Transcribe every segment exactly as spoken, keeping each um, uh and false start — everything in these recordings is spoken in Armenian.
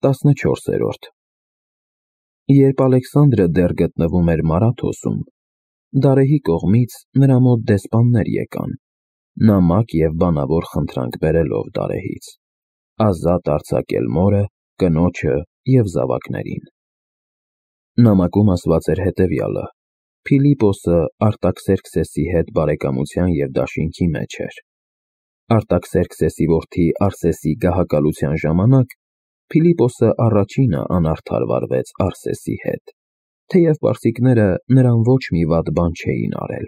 տասնչորսերորդ Երբ Ալեքսանդրը դեռ գտնվում էր Մարաթոսում, Դարեհի կողմից նրա մոտ դեսպաններ եկան, նամակ և բանավոր խնդրանք բերելով Դարեհից, ազատ արձակել մորը, կնոջը և զավակներին։ Նամակում ասված էր հետևյալը. Փիլիպոսը Արտաքսերքսեսի հետ բարեկամության և դաշինքի մեջ էր։ Արտաքսերքսեսի որդի Արսեսի գահակալության ժամանակ Փիլիպոսը առաջինը անարդար վարվեց Արսեսի հետ, թեև պարսիկները նրան ոչ մի վատ բան չէին արել։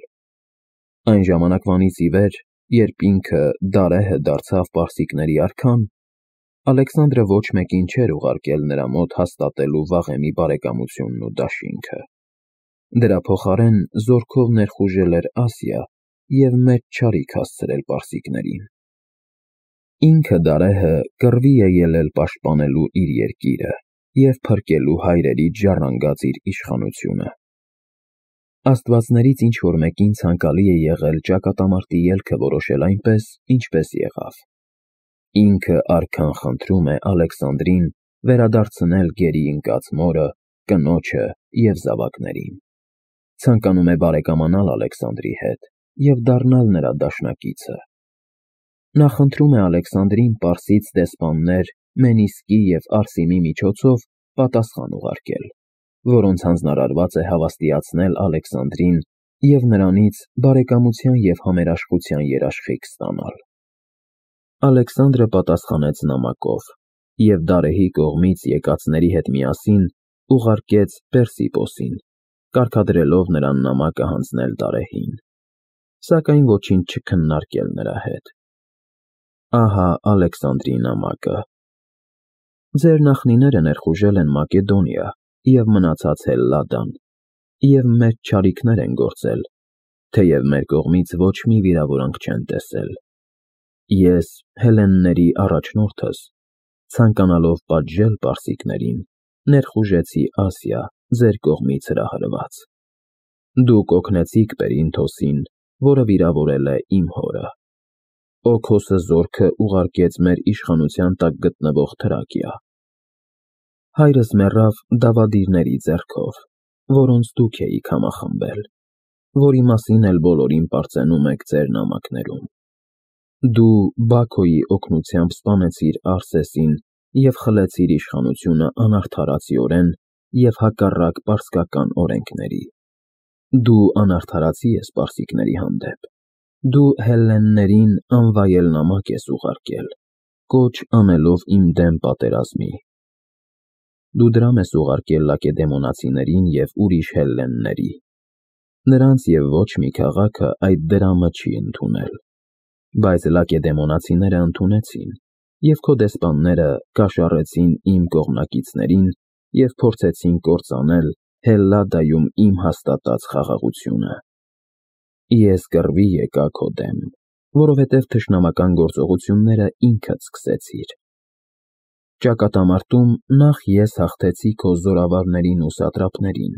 Այն ժամանակվանից ի վեր, երբ ինքը Դարեհը դարձավ պարսիկների արքան, Ալեքսանդրը ոչ մեկին չէր ուղարկել նրա մոտ հաստատելու վաղեմի բարեկամությունն ու դաշինքը։ Դրա փոխարեն զորքով ներխուժել էր Ասիա և մեծ չարիք հասցրել պարսիկներին։ Ինքը Դարեհը կռվի է ելել պաշտպանելու իր երկիրը և փրկելու հայրերից ժառանգած իր իշխանությունը։ Աստվածներից ինչ-որ մեկին ցանկալի է եղել ճակատամարտի ելքը որոշել այնպես, ինչպես եղավ։ Ինքը արքան խնդրում է Ալեքսանդրին վերադարձնել գերի ընկած մորը, կնոջը և զավակներին։ Ցանկանում է բարեկամանալ Ալեքսանդրի հետ և դառնալ նրա դաշնակիցը։ Նա խնդրում է Ալեքսանդրին պարսից դեսպաններ Մենիսկի և Արսիմի միջոցով պատասխան ուղարկել, որոնց հանձնարարված է հավաստիացնել Ալեքսանդրին և նրանից բարեկամության և համերաշխության երաշխիք ստանալ։ Ալեքսանդրը պատասխանեց նամակով և Դարեհի կողմից եկածների հետ միասին ուղարկեց Պերսիպոսին, կարգադրելով նրան նամակը հանձնել Դարեհին, սակայն ոչինչ չքննարկել նրա հետ։ Ահա Ալեքսանդրի նամակը. Ձեր նախնիները ներխուժել են Մակեդոնիա և մնացած Հելլադան, և մեծ չարիքներ են գործել, թեև մեր կողմից ոչ մի վիրավորանք չեն տեսել։ Ես, հելլենների առաջնորդս, ցանկանալով պատժել պարսիկներին, ներխուժեցի Ասիա ձեր կողմից հրահրված։ Դուք օգնեցիք Պերինթոսին, որը վիրավորել է իմ հորը։ Օքոսը զորքը ուղարկեց մեր իշխանության տակ գտնվող Թրակիա։ Հայրս մեռավ դավադիրների ձեռքով, որոնց դուք էիք համախմբել, որի մասին էլ բոլորին պարծենում եք ձեր նամակներում։ Դու Բաքոյի օգնությամբ սպանեցիր Արսեսին և խլեցիր իշխանությունը անարդարացիորեն և հակառակ պարսկական օրենքների։ Դու անարդարացի ես պարսիկների հանդեպ։ Դու հելլեններին անվայել նամակ ես ուղարկել, կոչ անելով իմ դեմ պատերազմի։ Դու դրամ ես ուղարկել լակեդեմոնացիներին և ուրիշ հելլենների։ Նրանց և ոչ մի քաղաքը այդ դրամը չի ընդունել։ Բայց լակեդեմոնացիները ընդունեցին, և քո դեսպանները կաշառեցին իմ կողմնակիցներին և փորձեցին կործանել Հելլադայում իմ հաստատած խաղաղությունը։ Ես կռվի եկա քո դեմ, որովհետև թշնամական գործողությունները ինքդ սկսեցիր։ Ճակատամարտում նախ ես հաղթեցի քո զորավարներին ու սատրապներին,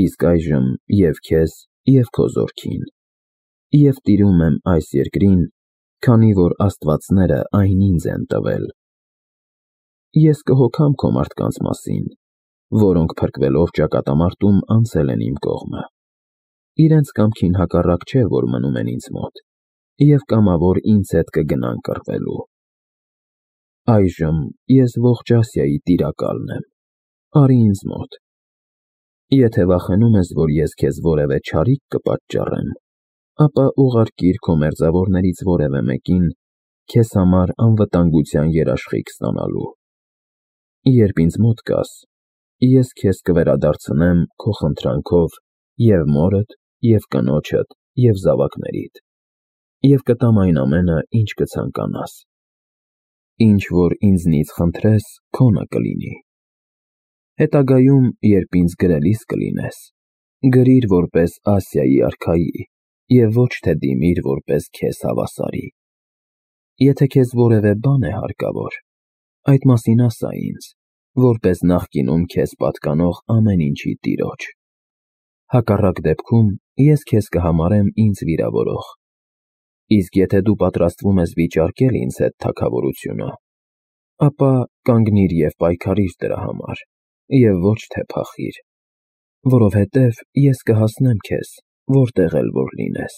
իսկ այժմ և քեզ, և քո զորքին, և տիրում եմ այս երկրին, քանի որ աստվածները այն ինձ են տվել։ Ես կհոգամ քո մարդկանց մասին, որոնք փրկվելով ճակատամարտում անցել են իմ կողմը։ Իրենց կամքին հակառակ չէ, որ մնում են ինձ մոտ, և կամավոր ինձ հետ կգնան կռվելու։ Այժմ ես ողջ Ասիայի տիրակալն եմ, արի ինձ մոտ։ Եթե վախենում ես, որ ես քեզ որևէ չարիք կպատճառեմ, ապա ուղարկիր քո մերձավորներից որևէ մեկին քեզ համար անվտանգության երաշխիք ստանալու։ Երբ ինձ մոտ գաս, ես քեզ կվերադարձնեմ քո խնդրանքով և մորդ, և կնոջդ, և զավակներիդ, և կտամ այն ամենը, ինչ կցանկանաս։ Ինչ որ ինձնից խնդրես, քոնը կլինի։ Հետագայում, երբ ինձ գրելիս կլինես, գրիր որպես Ասիայի արքայի և ոչ թե դիմիր որպես քեզ հավասարի։ Եթե քեզ որևէ բան է հարկավոր, այդ մասին ասա ինձ, որպես նախկինում քեզ պատկանող ամեն ինչի տիրոջ։ Հակառակ դեպքում ես քեզ կհամարեմ ինձ վիրավորող։ Իսկ եթե դու պատրաստվում ես վիճարկել ինձ հետ թագավորությունը, ապա կանգնիր և պայքարիր դրա համար, և ոչ թե փախիր, որովհետև ես կհասնեմ քեզ, որտեղ էլ որ լինես։